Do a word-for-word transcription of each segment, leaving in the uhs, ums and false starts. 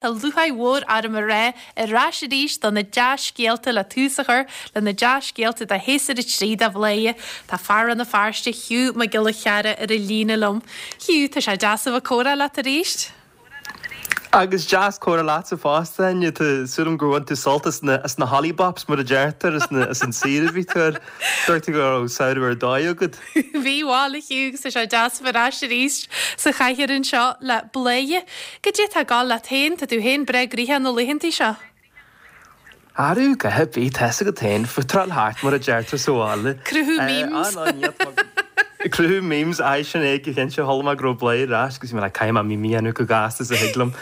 Tá lúcháir mhór orm a rá ar ais arís do na dea-scéalta le tús a chur le na dea-scéalta de shéasúr a trí de Bhladhaire. Tá fear Rann na Feirste Hugh Mac Giolla Chearra ar an líne liom. Hugh, tá sé deas a bheith ag comhrá leat arís. Agus deas comhrá leatsa fosta Áine tá súil agam gur bhain tú sult as na as na Hollybops mar a deirtear as na as an saoire a bhí tú ar. Dúirt tú go raibh samhradh ar dóigh agat. Bhí bhuel a Hugh agus tá sé deas a bheith ar ais arís sa chathaoir anseo le Bladhaire. Goidé tá ag gabháil leat féin, tá tú féin breá gnoitheach na laethantaí seo. Arú go bhí tá a fhios agat féin, fuatráil thart mar a deirtear sa bhaile. Cruthú memes. Cruthú memes aye sin é go cinnte chuala mé go raibh Bladhaire ar ais agus bhí mé like caithfidh mé meme a dhéanamh chomh gasta is a thig liom.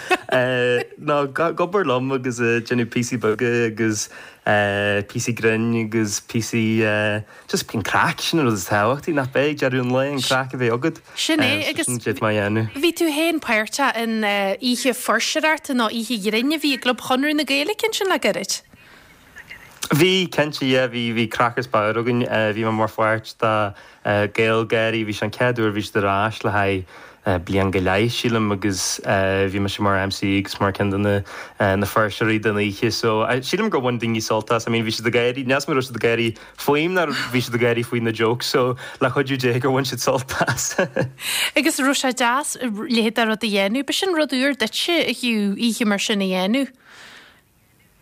Nó ag obair liom agus déanamh píosaí beaga agus píosaí grinn agus píosaí just an craic sin an rud is tábhachtaí nach b'é ag deireadh an lae an craic a bheith agat. Sin é agus sin é má dhéanamh. Bhí tú féin páirteach in oíche fuirseoireachta nó oíche ghrinn a bhí i gClub Chonradh na Gaeilge ansin le gairid. Bhí cinnte yeah bhí bhí craic is bodhar againn bhí mé mar pháirt de GaelGáirí bhí sé an chéad uair bhí siad ar ais le haghaidh bliain go leith sílim agus bhí mise mar MC agus mar ceann de na na fuirseoirí den oíche so sílim gur bhain daoine sult as I mean bhí siad ag gáirí níl a fhios agam an raibh siad ag gáirí faoim nó bhí siad ag gáirí faoi na jokes so le cuidiú Dé gur bhain siad sult as. Agus raibh sé deas leithéid de rud a dhéanamh, b'shin rud úr duitse a Hugh oíche mar sin a dhéanamh.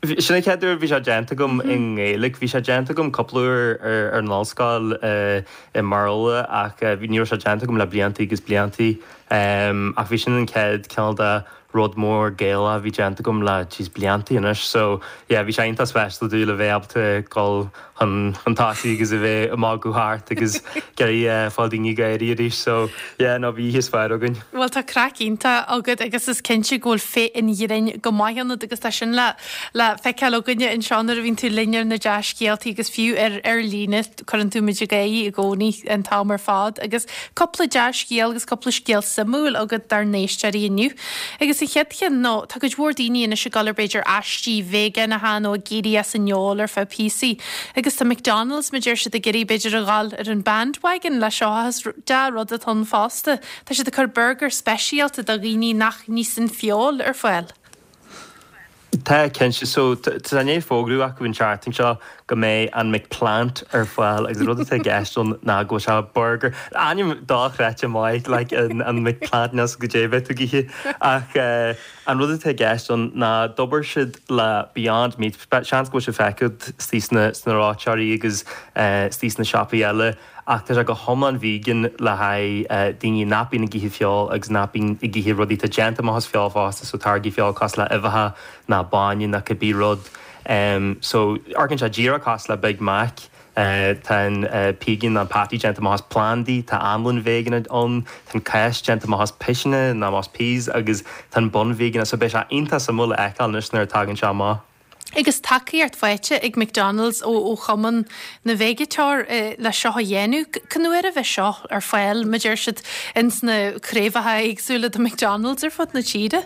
Sin an chéad uair bhí sé déanta agam i nGaeilge. Bhí sé déanta agam cúpla uair ar an ollscoil i mBéarla ach ní raibh sé déanta agam le blianta agus blianta. Ach bhí sin an chéad cineál de rud mór Gaelach a bhí déanta agam le jeez blianta anois. So yeah bhí sé iontach speisialta domh le bheith ábalta dul chun chun tosaigh agus a bheith ag magadh thart agus ag iarraidh fáil daoine ag gáirí arís. So yeah no bhí oíche is fearr againn. Bhuel tá craic iontach agat agus is cinnte go bhfuil féith an ghrinn go maith ionat agus tá sin le le feiceáil againne anseo nuair a bhíonn tú linn ar na dea-scéaltaí agus fiú ar ar líne cuireann tú muid ag gáirí i gcónaí an t-am ar fad agus cúpla dea-scéal agus cúpla scéal suimiúil agat dár n-éisteoirí inniu. Agus an chéad cheann nó tá cuid mhór daoine anois ag dul ar b'fhéidir aistí veigeánacha nó ag éirí as an fheoil ar feadh píosaí. Agus tá McDonald's mar deir siad ag iarraidh b'fhéidir a dhul ar an bandwagon le seo is dea-rud atá ann fosta. Tá siad ag cur burger speisialta do dhaoine nach n-íosann feoil ar fáil. Tá cinnte so tá né fógrú acu an tseachtain seo go mbeidh an McPlant ar fáil agus rud atá i gceist ann ná go bhfuil sé burger ainm dochreidte maith like an an McPlant níl a fhios goidé bheith tú ag ithe ach an rud atá i gceist ann ná d'obair siad le Beyond Meat seans go bhfuil sé feicthe istigh sna sna reoiteoirí agus istigh sna siopaí eile ach tá sé go hiomlán vegan le haghaidh daoine nach bíonn ag ithe feoil agus nach bíonn ag ithe rudaí atá déanta amach as feoil fosta so táirgí feoil cosúil le uibheacha ná bainne ná cibé rud. Um, so amharcann sé díreach cosúil le Big Mac. Uh, tá an uh, pígin an patty déanta amach as plandaí, tá anlann vegan ann, tá an cáis déanta amach as piseanna ná as peas agus tá an bun vegan so beidh sé iontach suimiúil a fheiceáil anois nuair a tagann sé amach. Agus tacaíocht faighte ag McDonald's ó ó Chumann na Veigeánach le seo a dhéanamh. Cén uair a bheidh seo ar fáil mar deir siad ins na craobhacha éagsúla de McDonald's ar fud na tíre?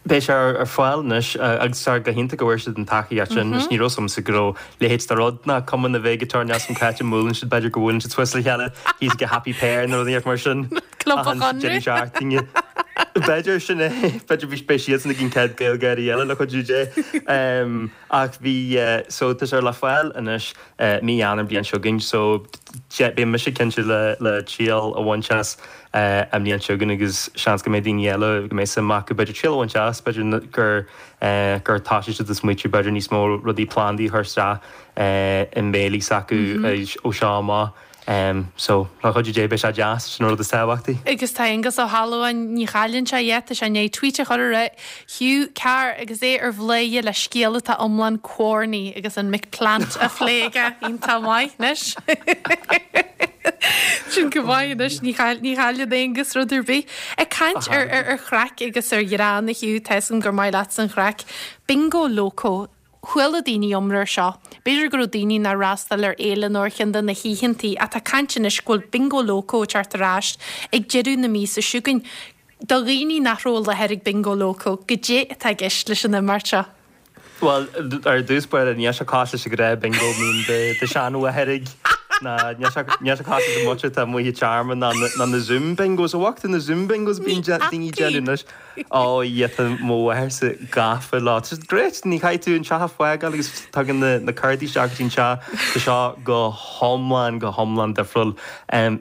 Beidh sé ar fáil anois agus tá go hiontach go bhfuair siad an tacaíocht sin mm -hmm. ní raibh a fhios agamsa go raibh leithéid de rud ná Cumann na Veigeánach níl a fhios agam cá háit a mbuaileann siad b'fhéidir go bhfuileann siad suas le chéile thíos go Happy Pear nó rudaí mar sin. Club Chonradh. B'fhéidir sin é b'fhéidir bhí beidh siadsan ag an chéad GaelGáirí eile le cuidiú Dé. Ach bhí so tá sé le fáil anois mí Eanáir bliain seo chugainn so beidh mise cinnte le le triail a bhaint as an mbliain seo chugainn agus seans go mbeidh daoine eile go mbeidh suim acu b'fhéidir triail a bhaint as b'fhéidir gur gur tosaigh siad ag smaoitiú b'fhéidir níos mó rudaí plandaí a chur isteach i mbéilí s'acu ó seo amach. Um, so le cuidiú Dé beidh sé deas sin rud is tábhachtaí. Agus tá Aengus Ó hAlmhain ní chailleann sé é tá sé i ndiaidh tweet a chur ar Hugh Carr agus é ar Bhladhaire le scéal atá iomlán corny agus an McPlant á phlé aige iontach maith anois. Sin go maith anois ní chailleann Aengus rud ar bith. Ag caint ar ar ar chraic agus ar ghreann a Hugh tá a fhios agam gur maith leat an chraic. Bingo Loco. Chuala daoine iomrá air seo. B'fhéidir go raibh daoine nár fhreastail ar fhéile nó ar cheann de na hoícheantaí ach tá caint anois go bhfuil Bingo Loco ag teacht ar ais ag deireadh na míosa seo chugainn. Do dhaoine nach raibh i láthair ag Bingo Loco, goidé atá i gceist leis an imeacht seo. Well ar dtús báire níl sé cosúil leis an ghnáth bingo mín de de seanmháthair Ná níl sé níl sé cosúil le muintir atá amuigh i tearmann ná na ná na Zoom bingos. An bhfaca tú na Zoom bingos a bíonn daoine ag déanamh anois? Ó yeah tá mo mháthairse gafa leo. Tá siad great, ní chaithfidh tú an teach a fhágáil agus tagann na na cártaí isteach go dtí an teach. Tá seo go hiomlán go hiomlán difriúil.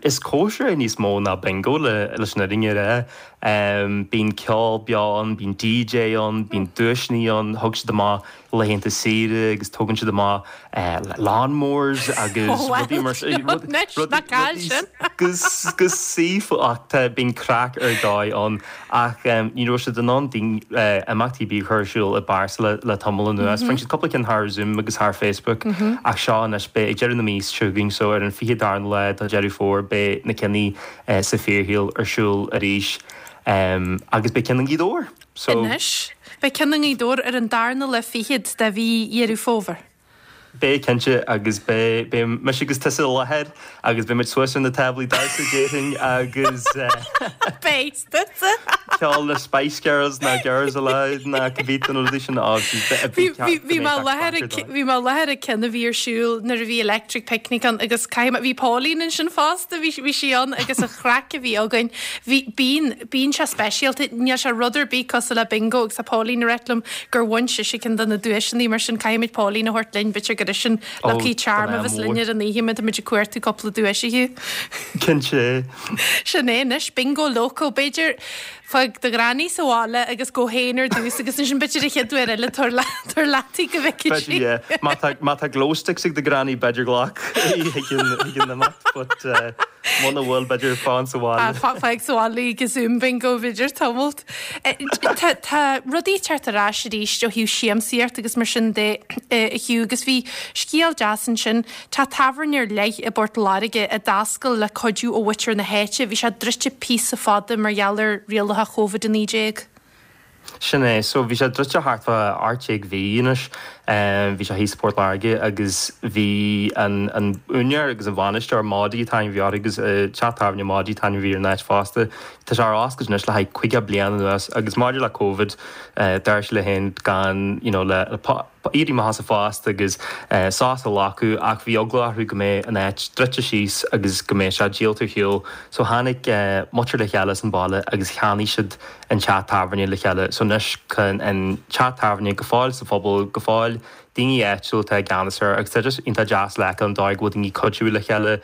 Is cóisir é níos mó ná bingo le leis an fhírinne a rá. Bíonn ceol beo ann, bíonn DJ ann, bíonn duaiseanna ann, thug siad amach laethanta saoire agus tógann siad amach lawnmowers agus rudaí mar sin. Go saofa ach tá bíonn craic ar dóigh ann ach ní raibh siad in ann imeachtaí ar bith a chur ar siúl i bpearsa le le tamall anuas. Rinne siad cúpla ceann thar Zoom agus thar Facebook ach seo anois beidh ag deireadh na míosa seo chugainn so ar an fiche darna lá de Dheireadh Fómhair beidh na cinn sa fíorshaol ar siúl arís agus beidh ceann i nGaoth Dobhair. So. Anois, beidh ceann i nGaoth Dobhair ar an darna lá fichead de mhí Dheireadh Fómhair. Beidh, cinnte, agus beidh, beidh mise agus tusa i láthair agus beidh muid suas ar na táblaí damhsa déarfainn agus Beidh tusa! ceol na Spice Girls ná Girls Aloud ná cibé de na rudaí sin á Bhí bhí mé i láthair ag bhí mé i láthair ag ceann a bhí ar siúl nuair a bhí Electric Picnic ann agus caithfidh mé bhí Pauline ansin fosta bhí bhí sí ann agus an chraic a bhí againn bhí bíonn bíonn sé speisialta níl sé rud ar bith cosúil le bingo agus tá Pauline ag ráit liom gur bhain sise ceann de na duaiseanna mar sin caithfimid Pauline a thabhairt linn b'fhéidir gur sin lucky charm a bheas linn ar an oíche má táimid ag cuartú cúpla duais a Hugh. Cinnte. Sin é anois, bingo loco. B'fhéidir fág do ghranny sa bhaile agus gabh féin ar dtús agus ansin b'fhéidir an chéad uair eile tabhair tabhair leat í go bhfeicfidh sí. B'fhéidir, yeah. Má tá má tá glow sticks ag do ghranny b'fhéidir glac í chuig an chuig an imeacht but eh, muna bhfuil b'fhéidir fan sa bhaile. Fág sa bhaile í ag Zoom bingo b'fhéidir tamalt. Tá tá rudaí ag teacht ar ais arís ó thaobh siamsaíocht agus mar sin de a Hugh agus bhí scéal deas ansin. Tá tábhairne ar leith i bPort Láirge a d'oscail le cuidiú ó mhuintir na háite. Bhí sé druidte píosa fada mar gheall ar rialacha Covid a naoi déag. Sin é. So bhí sé druidte thart fá ocht déag mhí anois. Bhí sé thíos i Port Láirge agus bhí an an úinéir agus an bhainisteoir Maudie an t-ainm a bhí air agus teach tábhairne Maudie an t-ainm a bhí ar an áit fosta. Tá sé ar oscailt anois le haghaidh caoga bliain anuas agus maidir le Covid deir sé léi féin gan you know le éirí amach as a phost agus sos a ghlacadh ach bhí eagla orthu go mbeidh an áit druidte síos agus go mbeidh sé díolta ar shiúl so tháinig muintir le chéile as an baile agus cheannaigh siad an teach tábhairne le chéile so anois tá an teach tábhairne go fóill sa phobal go fóill daoine áitiúil atá i gceannas air agus tá just iontach deas le feiceáil an dóigh go bhfuil daoine ag cuidiú le chéile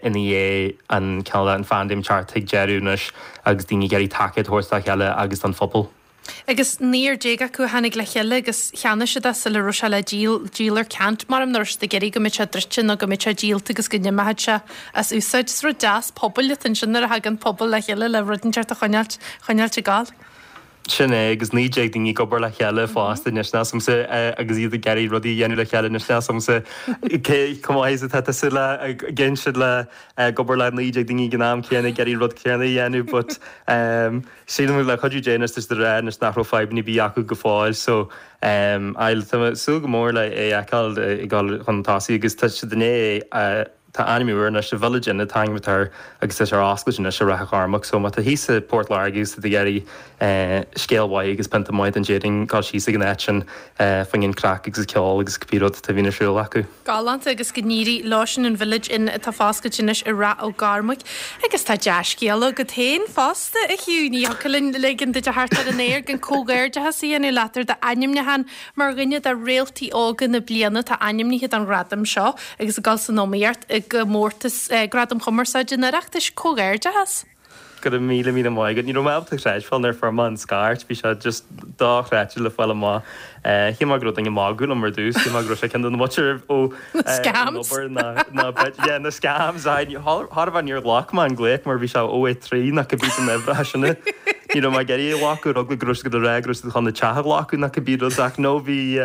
ina dhiaidh an cineál an phaindéim teacht chuig deireadh anois agus daoine ag iarraidh tacaíocht a thabhairt dá chéile agus don phobal. Agus naonúr déag acu a tháinig le chéile agus cheannaigh siad é sula raibh sé le díol, díol ar ceant, maram nach raibh siad ag iarraidh go mbeadh sé druidte nó go mbeadh sé díolta agus go n-imeochadh sé as úsáid. Is rud deas pobail atá ansin nuair a thagann pobal le chéile le rud inteacht a choinneáilt, choinneáilt ag gabháil. Sin é, agus naoi déag daoine ag obair le chéile fosta anois níl a fhios agamsa agus iad ag iarraidh rudaí a dhéanamh le chéile anois níl a fhios agamsa cé chomh maith is atá tusa le ag insint le ag obair le naoi déag daoine ag an am céanna ag iarraidh rud céanna a dhéanamh but sílim le cuidiú Dé anois tá siad ag rá anois nach raibh fadhbanna ar bith acu go fóill so aye tá mé ag súil go mór le é a fheiceáil ag dul chun tosaigh agus tá siad i ndiaidh Tá ainm úr anois, The Village Inn an t-ainm atá air agus tá sé ar oscailt anois i Ráth Ó Chormaic so má tá thíos i Port Láirge agus tá tú ag iarraidh scéal mhaith agus pionta maith den déarfainn gabh síos ag an áit sin fá choinne an craic agus ceol agus cibé rud atá bhíonn ar siúl acu. Galánta agus go n-éirí leo sin an Village Inn atá foscailte anois i Ráth Ó gCormaic. Agus tá dea-scéal agat féin fosta, a Hugh, ní thiocfadh linn ligean duit a theacht ar an aer gan comhghairdeachas a dhéanamh leat ar d'ainmniúchán mar dhuine de réaltaí óga na bliana atá ainmnithe don ghradam seo agus ag dul san iomaíocht i gcomórtas Gradaim Chumarsáide an Oireachtais. Comhghairdeachas! Go raibh míle míle maith agat. Ní raibh mé ábalta creidbheáil nuair a fuair mé an scairt. Bhí sé just dochreidte le fáil amach. Shíl mé go raibh duine ag magadh liom ar dtús. Shíl mé go raibh sé ceann de na muintir ó an obair ná ná yeah na scams. Aye chóir a bheith níor ghlac mé an glaoch mar bhí sé oh eight three nó cibé den uimhir sin. Ní raibh mé ag iarraidh a ghlacadh ar eagla go raibh siad ag rá go raibh siad chun an teach a ghlacadh nó cibé rud ach no bhí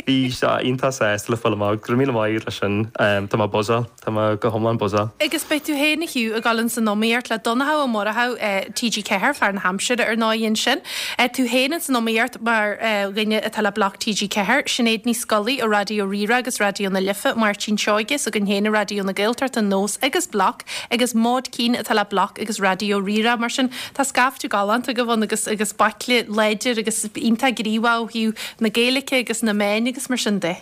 bhí sé iontach sásta le fáil amach. Go raibh míle maith agat leis sin. Tá mé buzzáil. Tá mé go hiomlán buzzáil. Agus beidh tú féin, a Hugh, ag dul ins an iomaíocht le Donnchadh Ó Murchú, T G Ceathair, fear na haimsire ar ndóigh ansin. Tú féin ins an iomaíocht mar dhuine atá le Bloc T G Ceathair, Sinéad Ní Scolaí ó Raidió Rí-Rá agus Raidió na Life, Máirtín Seoige s'againn féin i Raidió na Gaeltachta, Nós agus Bloc, agus Maud Keane atá le Bloc agus Raidió Rí-Rá. Mar sin, tá scaifte galánta agaibh ann agus agus baicle láidir agus iontach gníomhach ó thaobh na Gaeilge agus na meáin agus mar sin de.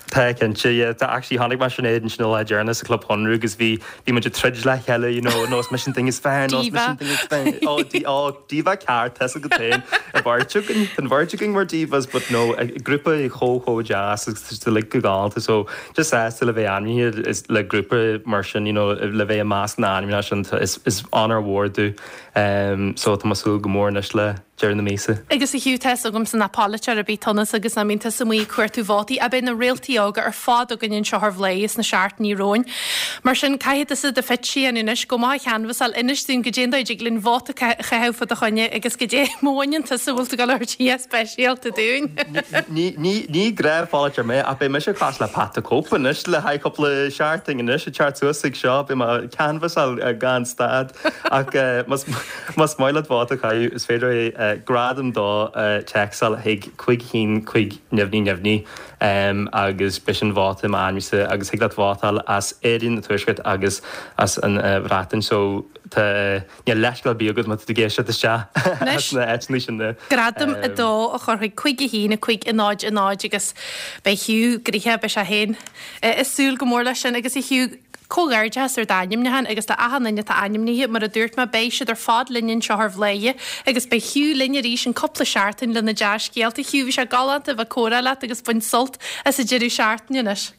Tá cinnte yeah, tá actually tháinig mé Sinéad ansin an lá deireanach sa Club Chonradh agus bhí bhí muid ag troid le chéile you know, nó is mise an duine is fearr nó is mise an duine is fearr. Ó dí ó diva ceart tá go féin a bheirt againn an bheirt againn mar divas but no grúpa chomh chomh deas agus tá like go galánta so just sásta le bheith ainmnithe is le grúpa mar sin you know, le bheith i measc na n-ainmneacha sin is is onóir mhór domh um, so tá mé ag súil go mór anois le deireadh na míosa. Agus a Hugh tá a fhios agamsa nach polaiteoir ar bith tú agus nach mbíonn tusa amuigh ag cuartú vótaí ach beidh na réaltaí óga ar fad againn anseo ar Bhladhaire sna seachtainí romhainn. Mar sin caithfidh tusa do phitch a dhéanamh anois go maith a chanbhasáil inis dúinn goidé an dóigh a dtig linn vóta a chaitheamh fá do choinne agus goidé má bhaineann tusa bhfuil tú ag dul a thabhairt speisialta dúinn. Ní ní ní gnáthpholaiteoir mé ach beidh mise cosúil le Pat the Cope anois le haghaidh cúpla seachtain anois ag teacht suas ag seo beidh mé ag canbhasáil gan stad ach más más maith leat vóta a chaitheamh is féidir é gradam dó téacsáil chuig cúig haon cúig neamhní neamhní agus beidh sin vóta m'ainmse agus thig leat vótáil as Éirinn an Tuaisceart agus as an Bhreatain so tá níl leithscéal ar bith agat má tá tú ag éisteacht isteach as na áiteanna sin. Gradam a dó a chur chuig cúig a haon a cúig a náid a náid agus beidh Hugh gnoitheach beidh sé féin ag súil go mór leis sin agus a Hugh comhghairdeas ar d'ainmniúchán agus le achan duine atá ainmnithe mar a dúirt mé beidh siad ar fad linn anseo ar Bhladhaire agus beidh Hugh linn arís in cúpla seachtain lena dea-scéalta. Hugh bhí sé galánta bheith ag comhrá leat agus bain sult as an deireadh seachtaine anois.